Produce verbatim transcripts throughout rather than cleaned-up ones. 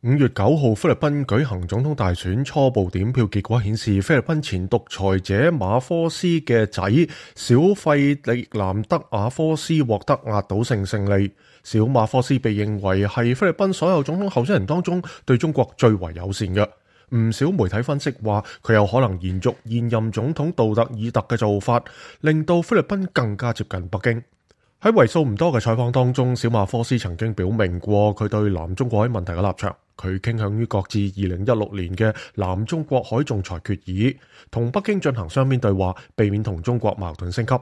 五月九號，菲律賓舉行總統大選，初步點票結果顯示，菲律賓前獨裁者馬科斯嘅仔小費力南德馬科斯獲得壓倒性勝利。小馬科斯被認為係菲律賓所有總統候選人當中對中國最為友善嘅。唔少媒體分析話，佢有可能延續現任總統杜特爾特嘅做法，令到菲律賓更加接近北京。喺為數唔多嘅採訪當中，小馬科斯曾經表明過佢對南中國海問題嘅立場。佢傾向於擱置二零一六年嘅南中國海仲裁決議，同北京進行雙邊對話，避免同中國矛盾升級。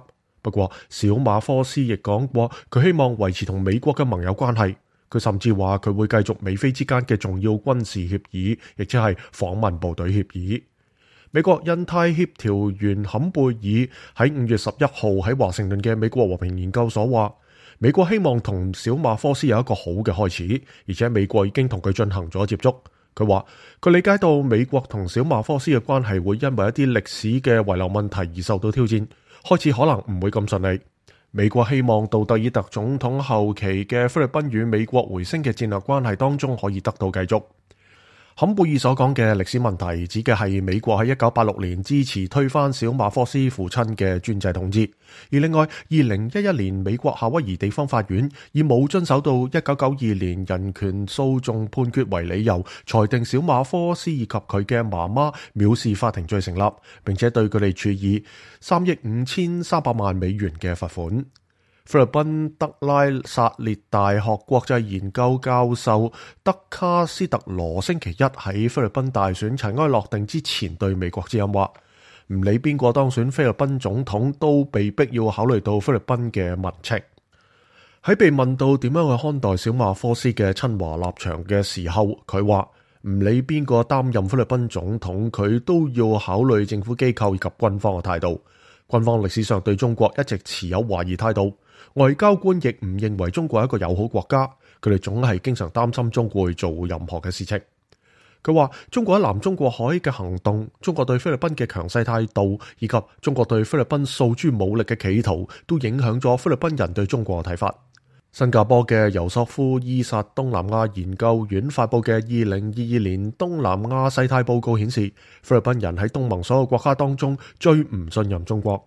不過，小馬科斯亦講過，佢希望維持同美國嘅盟友關係。佢甚至話佢會繼續美菲之間嘅重要軍事協議，亦即係訪問部隊協議。美國印太協調員坎貝爾喺五月十一號喺華盛頓嘅美國和平研究所話，美國希望同小馬科斯有一個好嘅開始，而且美國已經同佢進行咗接觸。佢話佢理解到美國同小馬科斯嘅關係會因為一啲歷史嘅遺留問題而受到挑戰，開始可能唔會咁順利。美國希望杜特爾特總統後期嘅菲律賓與美國回升嘅戰略關係當中可以得到繼續。坎貝爾所講嘅歷史問題指嘅係美國喺一九八六年支持推翻小馬科斯父親嘅專制統治，而另外二零一一年美國夏威夷地方法院以冇遵守到一九九二年人權訴訟判決為理由，裁定小馬科斯以及佢嘅媽媽藐視法庭罪成立，並且對佢哋處以三億五千三百萬美元嘅罰款。菲律賓德拉薩列大學國際研究教授德卡斯特羅星期一喺菲律賓大選塵埃落定之前對美國之音話，唔理邊個當選菲律賓總統，都被逼要考慮到菲律賓嘅民情。喺被問到點樣去看待小馬科斯嘅親華立場嘅時候，佢話唔理邊個擔任菲律賓總統，佢都要考慮政府機構以及軍方嘅態度。軍方歷史上對中國一直持有懷疑態度。外交官亦唔認為中國係一個友好國家，佢哋總係經常擔心中國會做任何嘅事情。佢話中國喺南中國海嘅行動，中國對菲律賓嘅強勢態度，以及中國對菲律賓訴諸武力嘅企圖，都影響咗菲律賓人對中國嘅睇法。新加坡嘅尤索夫伊薩東南亞研究院發佈嘅二零二二年東南亞世態報告顯示，菲律賓人喺東盟所有國家當中最唔信任中國。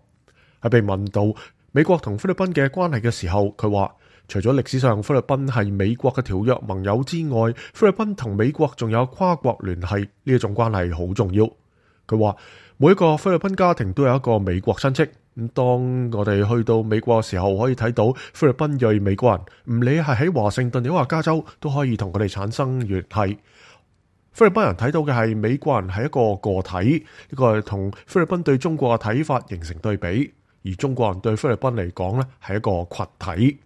喺被問到美國同菲律賓嘅關係嘅時候，佢話除咗歷史上菲律賓係美國嘅條約盟友之外，菲律賓同美國仲有跨國聯繫，呢一種關係好重要。佢話每一個菲律賓家庭都有一個美國親戚，咁當我哋去到美國嘅時候，可以睇到菲律賓裔美國人，唔理係喺華盛頓抑或加州，都可以同佢哋產生聯繫。菲律賓人睇到嘅係美國人係一個個體，呢個係同菲律賓對中國嘅睇法形成對比。而中國人對菲律賓嚟講咧，係一個群體。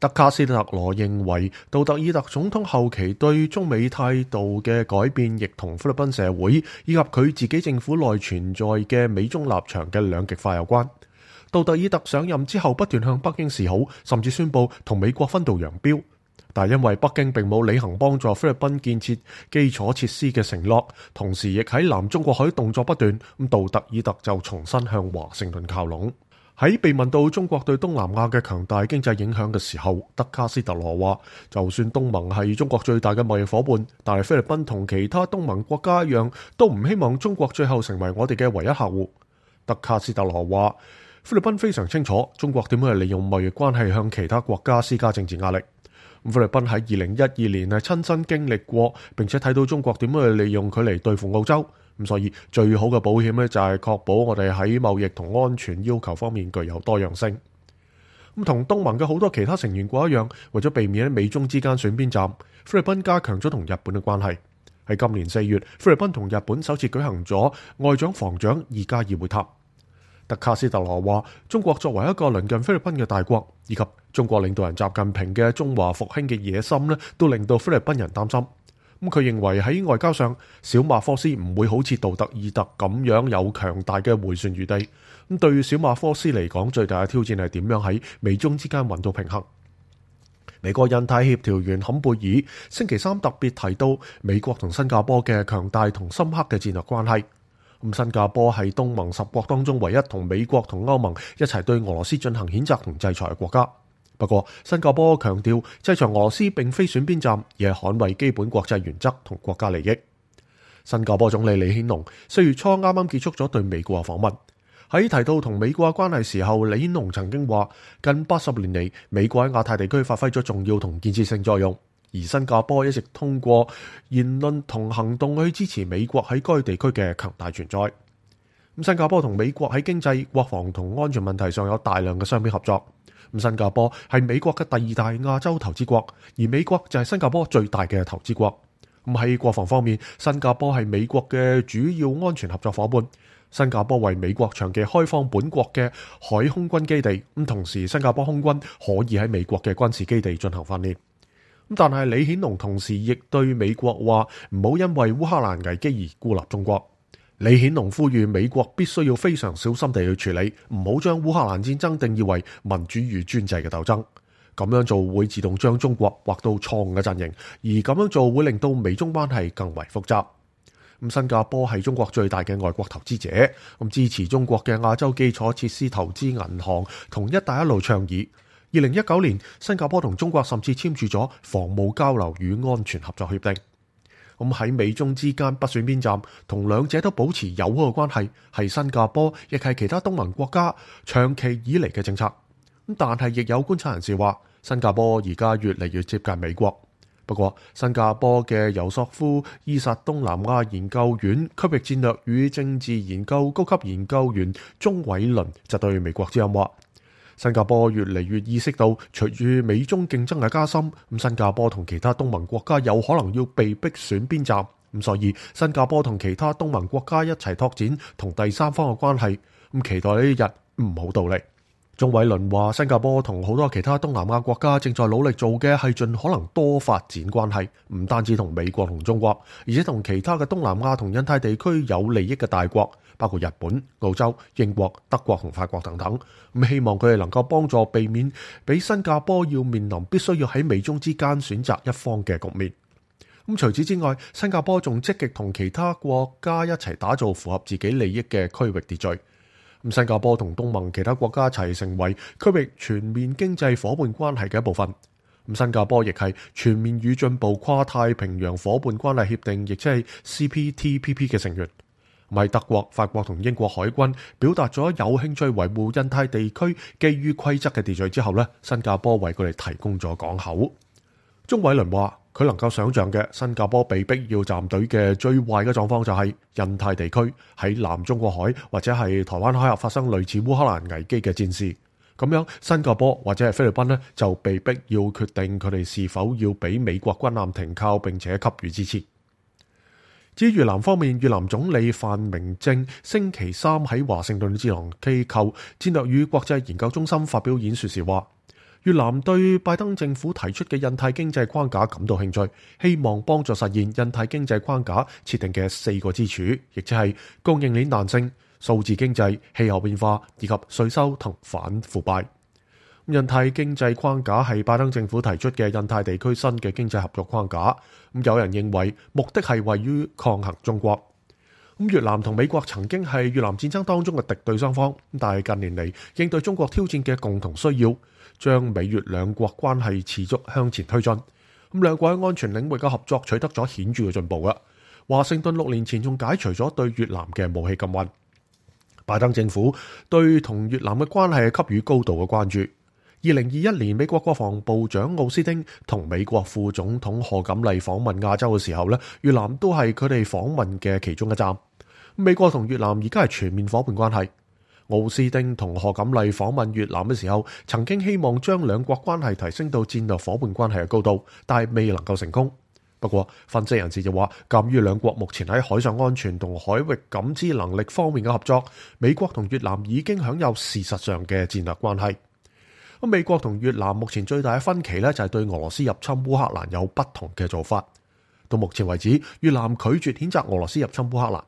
德卡斯特羅認為，杜特爾特總統後期對中美態度嘅改變，亦同菲律賓社會以及佢自己政府內存在嘅美中立場嘅兩極化有關。杜特爾特上任之後，不斷向北京示好，甚至宣布同美國分道揚鑣。但因為北京並冇履行幫助菲律賓建設基礎設施嘅承諾，同時亦喺南中國海動作不斷，咁杜特爾特就重新向華盛頓靠攏。喺被問到中國對東南亞嘅強大經濟影響嘅時候，德卡斯特羅話，就算東盟係中國最大嘅貿易夥伴，但係菲律賓同其他東盟國家一樣，都唔希望中國最後成為我哋嘅唯一客戶。德卡斯特羅話，菲律賓非常清楚中國點樣利用貿易關係向其他國家施加政治壓力。菲律賓喺二零一二年係親身經歷過，並且睇到中國點樣去利用佢嚟對付澳洲。咁所以最好嘅保險咧，就係確保我哋喺貿易同安全要求方面具有多樣性。咁同東盟嘅好多其他成員國一樣，為咗避免喺美中之間選邊站，菲律賓加強咗同日本嘅關係。喺今年四月，菲律賓同日本首次舉行咗外長防長二加二會談。德卡斯特羅話，中國作為一個鄰近菲律賓嘅大國，以及中國領導人習近平嘅中華復興嘅野心咧，都令到菲律賓人擔心。咁佢認為喺外交上，小馬科斯唔會好似杜特爾特咁樣有強大嘅迴旋餘地。咁對於小馬科斯嚟講，最大嘅挑戰係點樣喺美中之間揾到平衡。美國印太協調員坎貝爾星期三特別提到美國同新加坡嘅強大同深刻嘅戰略關係。咁新加坡係東盟十國當中唯一同美國同歐盟一齊對俄羅斯進行譴責同制裁嘅國家。不過，新加坡強調制裁俄羅斯並非選邊站，而係捍衛基本國際原則同國家利益。新加坡總理李顯龍四月初啱啱結束咗對美國嘅訪問，喺提到同美國嘅關係時候，李顯龍曾經話：近八十年嚟，美國喺亞太地區發揮咗重要同建設性作用，而新加坡一直通過言論同行動去支持美國喺該地區嘅強大存在。咁新加坡同美國喺經濟、國防同安全問題上有大量嘅雙邊合作。咁新加坡係美國嘅第二大亞洲投資國，而美國就係新加坡最大嘅投資國。咁喺國防方面，新加坡係美國嘅主要安全合作夥伴。新加坡為美國長期開放本國嘅海空軍基地，咁同時新加坡空軍可以喺美國嘅軍事基地進行訓練。咁但係李顯龍同時亦對美國話唔好因為烏克蘭危機而孤立中國。李顯龍呼籲美國必須要非常小心地去處理，唔好將烏克蘭戰爭定義為民主與專制嘅鬥爭。咁樣做會自動將中國劃到錯誤嘅陣營，而咁樣做會令到美中關係更為複雜。咁新加坡係中國最大嘅外國投資者，咁支持中國嘅亞洲基礎設施投資銀行同一帶一路倡議。二零一九年，新加坡同中國甚至簽署咗防務交流與安全合作協定。咁喺美中之間不選邊站，同兩者都保持友好嘅關係，係新加坡亦係其他東盟國家長期以嚟嘅政策。咁但係亦有觀察人士話，新加坡而家越嚟越接近美國。不過，新加坡嘅尤索夫伊薩東南亞研究院區域戰略與政治研究高級研究員鍾偉倫就對美國之音話：新加坡越嚟越意識到，隨住美中競爭嘅加深，咁新加坡同其他東盟國家有可能要被逼選邊站，咁所以新加坡同其他東盟國家一齊拓展同第三方嘅關係，咁期待呢一日唔好到嚟。鍾偉倫話：新加坡同好多其他東南亞國家正在努力做嘅係盡可能多發展關係，唔單止同美國同中國，而且同其他嘅東南亞同印太地區有利益嘅大國，包括日本、澳洲、英國、德國同法國等等。咁希望佢哋能夠幫助避免俾新加坡要面臨必須要喺美中之間選擇一方嘅局面。咁除此之外，新加坡仲積極同其他國家一齊打造符合自己利益嘅區域秩序。咁新加坡同東盟其他國家一齊成為區域全面經濟夥伴關係嘅一部分。咁新加坡亦係全面與進步跨太平洋夥伴關係協定，亦即係 C P T P P 嘅成員。喺德國、法國同英國海軍表達咗有興趣維護印太地區基於規則嘅秩序之後呢，新加坡為佢哋提供咗港口。鍾偉倫話：佢能夠想象嘅新加坡被逼要站隊嘅最壞嘅狀況就係印太地區喺南中國海或者係台灣海峽發生類似烏克蘭危機嘅戰事，咁樣新加坡或者係菲律賓呢，就被逼要決定佢哋是否要俾美國軍艦停靠並且給予支持。至於越南方面，越南總理范明政星期三喺華盛頓智囊機構戰略與國際研究中心發表演說時話，越南對拜登政府提出嘅印太經濟框架感到興趣，希望幫助實現印太經濟框架設定嘅四個支柱，亦即係供應鏈彈性、數字經濟、氣候變化以及稅收同反腐敗。印太經濟框架係拜登政府提出嘅印太地區新嘅經濟合作框架。咁有人認為目的係為於抗衡中國。咁越南同美國曾經係越南戰爭當中嘅敵對雙方，但係近年嚟應對中國挑戰嘅共同需要，將美越兩國關係持續向前推進。咁兩國喺安全領域嘅合作取得咗顯著嘅進步啊！華盛頓六年前仲解除咗對越南嘅武器禁運。拜登政府對同越南嘅關係係給予高度嘅關注。二零二一年，美國國防部長奧斯汀同美國副總統賀錦麗訪問亞洲嘅時候咧，越南都係佢哋訪問嘅其中一站。美國同越南而家係全面夥伴關係。奧斯汀同賀錦麗訪問越南嘅時候，曾經希望將兩國關係提升到戰略夥伴關係嘅高度，但係未能夠成功。不過，分析人士就話，鑑於兩國目前喺海上安全同海域感知能力方面嘅合作，美國同越南已經享有事實上嘅戰略關係。咁美國同越南目前最大嘅分歧咧，就係對俄羅斯入侵烏克蘭有不同嘅做法。到目前為止，越南拒絕譴責俄羅斯入侵烏克蘭。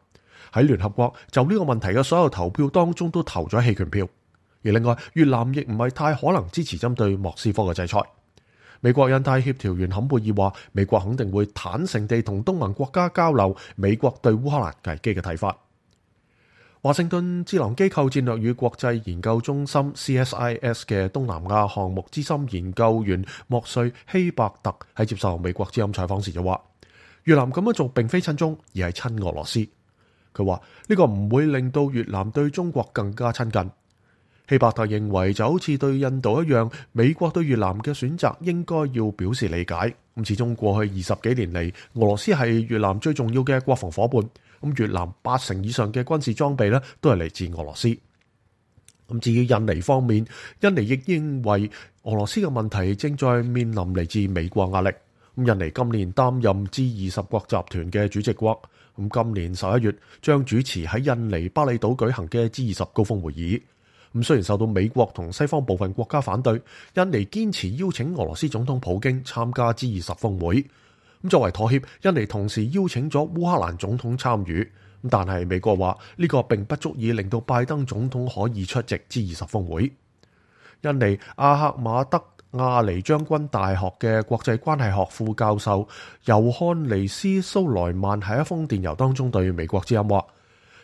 喺聯合國就呢個問題嘅所有投票當中都投咗棄權票。而另外，越南亦唔係太可能支持針對莫斯科嘅制裁。美國印太協調員坎貝爾話，美國肯定會坦誠地同東盟國家交流美國對烏克蘭危機嘅睇法。華盛頓智囊機構戰略與國際研究中心 C S I S 嘅東南亞項目資深研究員莫瑞希伯特喺接受美國之音採訪時就話，越南咁樣做並非親中，而係親俄羅斯。佢話呢個唔會令到越南對中國更加親近。希伯特認為就好似對印度一樣，美國對越南嘅選擇應該要表示理解。咁始終過去二十幾年嚟，俄羅斯係越南最重要嘅國防夥伴。咁越南八成以上嘅軍事裝備咧，都係嚟自俄羅斯。咁至於印尼方面，印尼亦認為俄羅斯嘅問題正在面臨嚟自美國壓力。咁印尼今年擔任 G 二十國集團嘅主席國，咁今年十一月將主持喺印尼巴厘島舉行嘅 G 二十高峰會議。咁雖然受到美國同西方部分國家反對，印尼堅持邀請俄羅斯總統普京參加 G 二十峰會。咁作為妥協，印尼同時邀請咗烏克蘭總統參與。但係美國話呢個並不足以令到拜登總統可以出席 G 二十峰會。印尼阿克馬德亞尼將軍大學嘅國際關係學副教授尤漢尼斯蘇萊曼喺一封電郵當中對美國之音話，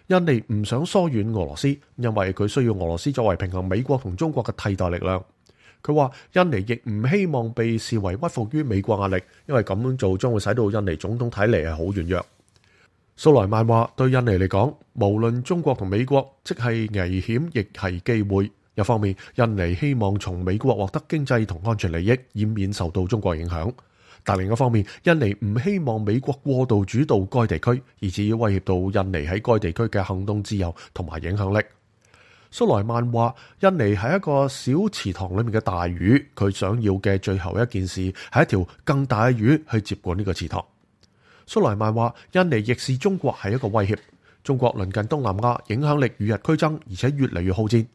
印尼唔想疏遠俄羅斯，因為佢需要俄羅斯作為平衡美國同中國嘅替代力量。佢話印尼亦唔希望被視為屈服於美國壓力，因為咁樣做將會使到印尼總統睇嚟係好軟弱。蘇萊曼話，對印尼嚟講，無論中國同美國，即係危險亦係機會。一方面，印尼希望從美國獲得經濟同安全利益，以免受到中國影響。但另一方面，印尼唔希望美國過度主導該地區，而至於威脅到印尼喺該地區嘅行動自由同埋影響力。蘇萊曼話，印尼係一個小池塘裏面嘅大魚，佢想要嘅最後一件事係一條更大嘅魚去接管呢個池塘。蘇萊曼話，印尼亦視中國係一個威脅。中國鄰近東南亞，影響力與日俱增，而且越嚟越好戰。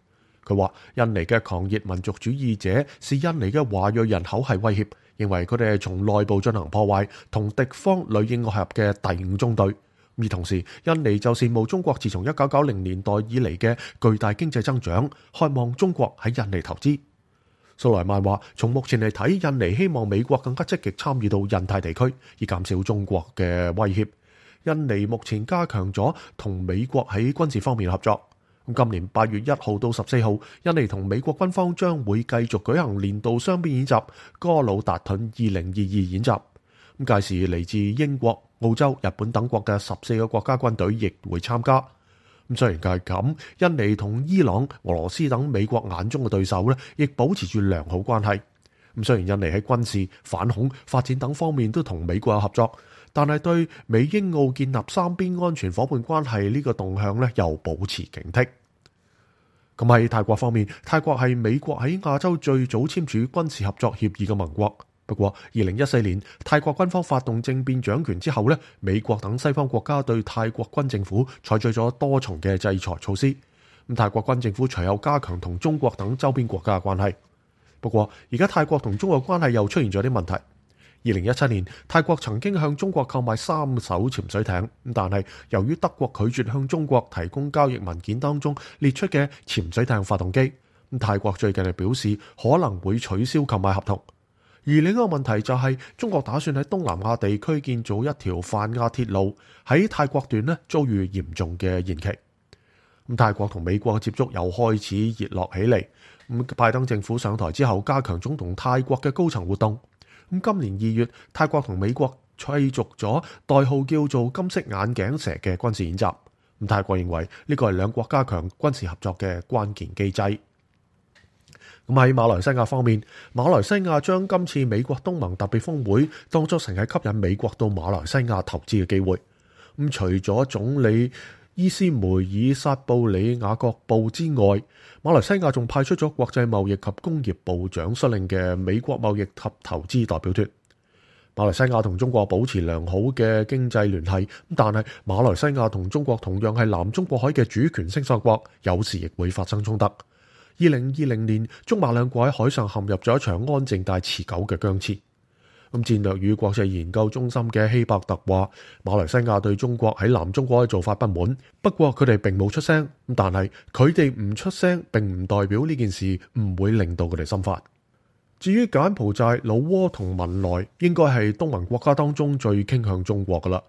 佢話，印尼嘅狂熱民族主義者視印尼嘅華裔人口係威脅，認為佢哋係從內部進行破壞，同敵方裡應外合嘅第五中隊。而同時，印尼就羨慕中國自從一九九零年代以嚟嘅巨大經濟增長，渴望中國喺印尼投資。蘇萊曼話，從目前嚟睇，印尼希望美國更加積極參與到印太地區，以減少中國嘅威脅。印尼目前加強咗同美國喺軍事方面合作。今年八月一號到十四號，印尼同美國軍方將會繼續舉行年度雙邊演習哥魯達盾二零二二演習。咁屆時嚟自英國、澳洲、日本等國嘅十四個國家軍隊亦會參加。咁雖然係咁，印尼同伊朗、俄羅斯等美國眼中嘅對手咧，亦保持住良好關係。咁雖然印尼喺軍事、反恐、發展等方面都同美國有合作，但係對美英澳建立三邊安全夥伴關係呢個動向咧，又保持警惕。咁喺泰國方面，泰國係美國喺亞洲最早簽署軍事合作協議嘅盟國。不過，二零一四年泰國軍方發動政變掌權之後咧，美國等西方國家對泰國軍政府採取咗多重嘅制裁措施。咁泰國軍政府隨後加強同中國等周邊國家嘅關係。不過，而家泰國同中國關係又出現咗啲問題。二零一七年，泰國曾經向中國購買三艘潛水艇，但係由於德國拒絕向中國提供交易文件當中列出嘅潛水艇發動機，咁泰國最近係表示可能會取消購買合同。而另一個問題就係中國打算喺東南亞地區建造一條泛亞鐵路，喺泰國段呢遭遇嚴重嘅延期。咁泰國同美國嘅接觸又開始熱絡起嚟。咁拜登政府上台之後，加強中同泰國嘅高層活動。咁今年二月，泰國同美國繼續咗代號叫做金色眼鏡蛇嘅軍事演習。咁泰國認為呢個係兩國加強軍事合作嘅關鍵機制。咁喺馬來西亞方面，馬來西亞將今次美國東盟特別峰會當作成係吸引美國到馬來西亞投資嘅機會。咁除咗總理伊斯梅爾薩布里雅各布之外，馬來西亞仲派出咗國際貿易及工業部長率領嘅美國貿易及投資代表團。馬來西亞同中國保持良好嘅經濟聯繫，但係馬來西亞同中國同樣係南中國海嘅主權聲索國，有時亦會發生衝突。二零二零年，中馬兩國喺海上陷入咗一場安靜但持久嘅僵持。咁戰略與國際研究中心嘅希伯特話，馬來西亞對中國喺南中國嘅做法不滿，不過佢哋並冇出聲。但係佢哋唔出聲，並唔代表呢件事唔會令到佢哋心煩。至於柬埔寨、老撾同文萊，應該係東盟國家當中最傾向中國噶啦。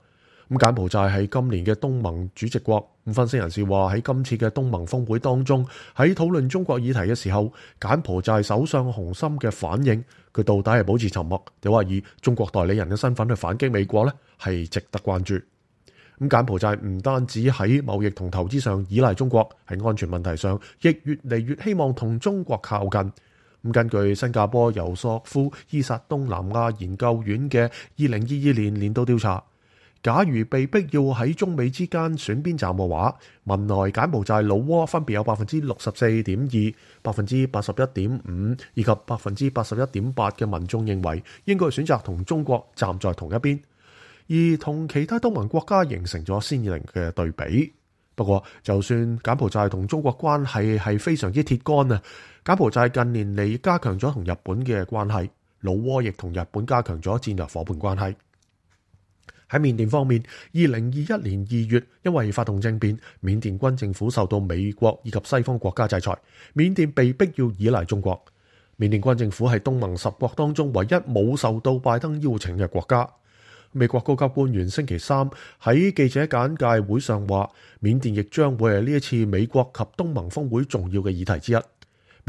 咁柬埔寨係今年嘅東盟主席國。咁分析人士話喺今次嘅東盟峰會當中，喺討論中國議題嘅時候，柬埔寨首相洪森嘅反應，佢到底係保持沉默，定話以中國代理人嘅身份去反擊美國呢？係值得關注。咁柬埔寨唔單止喺貿易同投資上依賴中國，喺安全問題上亦越嚟越希望同中國靠近。咁根據新加坡尤索夫伊薩東南亞研究院嘅二零二二年年度調查，假如被逼要喺中美之間選邊站嘅話，文萊柬埔寨老撾分別有百分之六十四點二、百分之八十一點五以及百分之八十一點八嘅民眾認為應該選擇同中國站在同一邊，而同其他東盟國家形成咗鮮明嘅對比。不過，就算柬埔寨同中國關係係非常之鐵桿啊，柬埔寨近年嚟加強咗同日本嘅關係，老撾亦同日本加強咗戰略夥伴關係。喺緬甸方面，二零二一年二月因為發動政變，緬甸軍政府受到美國以及西方國家制裁，緬甸被逼要依賴中國。緬甸軍政府係東盟十國當中唯一冇受到拜登邀請嘅國家。美國高級官員星期三喺記者簡介會上話，緬甸亦將會係呢一次美國及東盟峰會重要嘅議題之一。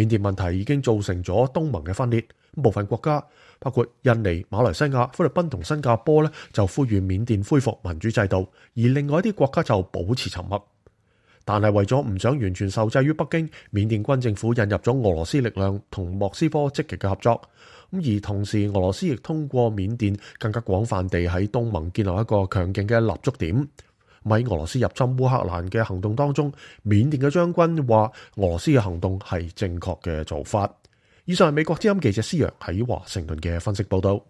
緬甸問題已經造成咗東盟嘅分裂，部分國家包括印尼、馬來西亞、菲律賓同新加坡咧，就呼籲緬甸恢復民主制度，而另外一啲國家就保持沉默。但係為咗唔想完全受制於北京，緬甸軍政府引入咗俄羅斯力量同莫斯科積極嘅合作。咁而同時，俄羅斯亦通過緬甸更加廣泛地喺東盟建立一個強勁嘅立足點。喺俄羅斯入侵烏克蘭嘅行動當中，緬甸嘅將軍話俄羅斯嘅行動係正確嘅做法。以上係美國之音記者施陽喺華盛頓嘅分析報道。